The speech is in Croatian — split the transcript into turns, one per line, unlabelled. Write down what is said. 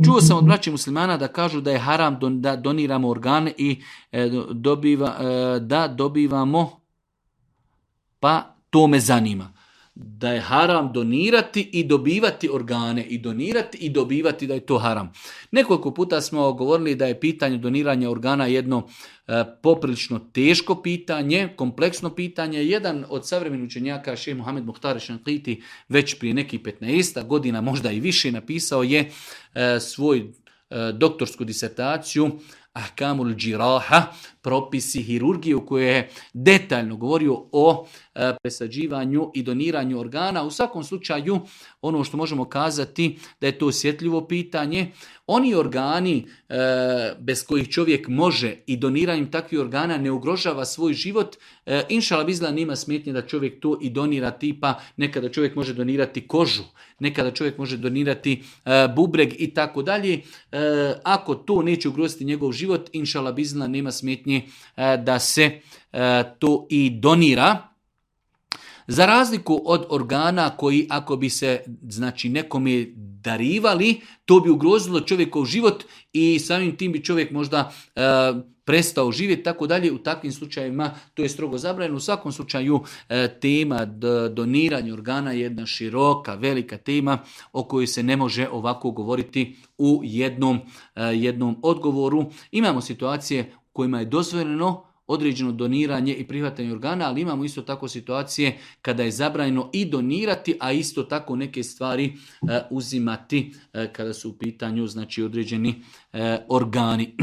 Čuo sam od braće muslimana da kažu da je haram da doniramo organe i da dobivamo, pa to me zanima. Da je haram donirati i dobivati organe, i donirati i dobivati, da je to haram. Nekoliko puta smo govorili da je pitanje doniranja organa jedno poprilično teško pitanje, kompleksno pitanje. Jedan od savremenih učenjaka, šejh Muhammed Muhtar Šanqiti, već prije nekih 15 godina, možda i više, napisao je svoj doktorsku disertaciju Ahkamul Džiraha, propisi hirurgije, u kojoj je detaljno govorio o presađivanju i doniranju organa. U svakom slučaju, ono što možemo kazati da je to osjetljivo pitanje. Oni organi bez kojih čovjek može i doniranjem takvih organa ne ugrožava svoj život, inšala bizla nima smetnje da čovjek to i donira, tipa nekada čovjek može donirati kožu, nekada čovjek može donirati bubreg i tako dalje. Ako to neće ugroziti njegov život, inšala bizla nema smetnje da se to i donira. Za razliku od organa koji, ako bi se nekome darivali, to bi ugrozilo čovjekov život i samim tim bi čovjek možda prestao živjeti, tako dalje. U takvim slučajevima to je strogo zabranjeno. U svakom slučaju tema doniranja organa je jedna široka, velika tema o kojoj se ne može ovako govoriti u jednom odgovoru. Imamo situacije u kojima je dozvoljeno određeno doniranje i prihvatanje organa, ali imamo isto tako situacije kada je zabranjeno i donirati, a isto tako neke stvari uzimati kada su u pitanju određeni organi.